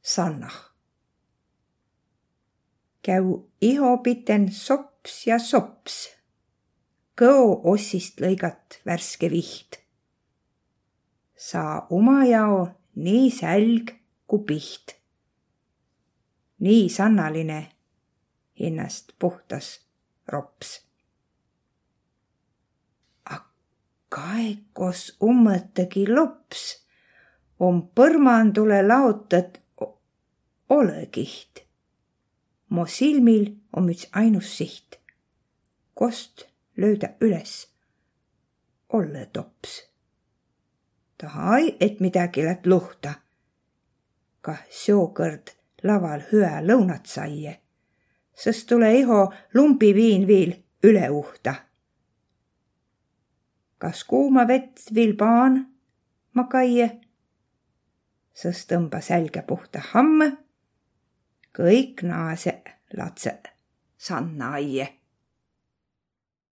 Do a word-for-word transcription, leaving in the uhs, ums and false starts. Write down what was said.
sannah. Käu iho piten sops ja sops. Kõo ossist lõigat värske viht. Saa uma jao nii sälg ku piht. Nii sannaline hinnast puhtas rops. A kaekos ummõttagi lops om põrmandule laotat olõkiht. Mo silmil om üts ainus siht. Kost löödä üles olle tops. Tahai, et midagi läht luhta. Kah seokõrd laval hüä lõunat saie, sest tule iho lumpi viin viil üle uhta. Kas kuuma vett viil paan ma kaie, sest tõmba sälge puhta hamme, kõik naase latse sanna aie.